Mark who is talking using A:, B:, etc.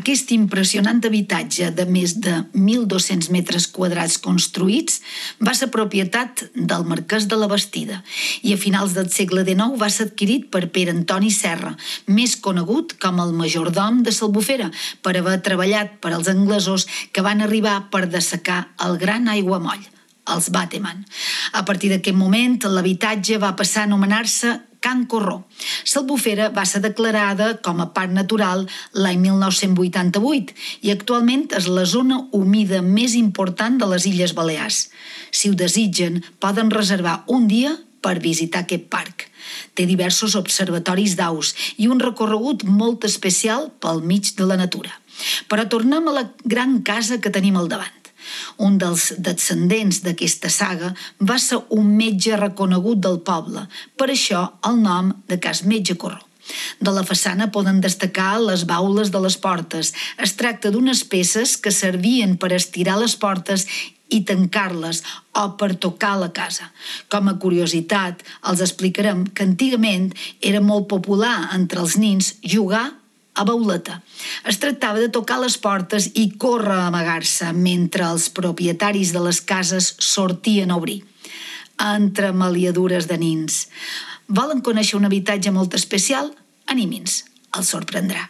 A: Aquest impressionant habitatge de més de 1.200 metres quadrats construïts va ser propietat del marquès de la Bastida i a finals del segle XIX va ser adquirit per Pere Antoni Serra, més conegut com el majordom de l'Albufera, per haver treballat per als anglesos que van arribar per dessecar el gran aiguamoll, els Bateman. A partir d'aquest moment, l'habitatge va passar a anomenar-se Can Corró. L'Albufera va ser declarada com a parc natural l'any 1988 i actualment és la zona humida més important de les Illes Balears. Si ho desitgen, poden reservar un dia per visitar aquest parc. Té diversos observatoris d'aus i un recorregut molt especial pel mig de la natura. Però tornem a la gran casa que tenim al davant. Un dels descendents d'aquesta saga va ser un metge reconegut del poble, per això el nom de Cas Metge Corró. De la façana poden destacar les baules de les portes. Es tracta d'unes peces que servien per estirar les portes i tancar-les o per tocar la casa. Com a curiositat, els explicarem que antigament era molt popular entre els nins jugar a bauleta. Es tractava de tocar les portes i córrer a amagar-se mentre els propietaris de les cases sortien a obrir. Entre maliadures de nins. Volen conèixer un habitatge molt especial? Animin-se, els sorprendrà.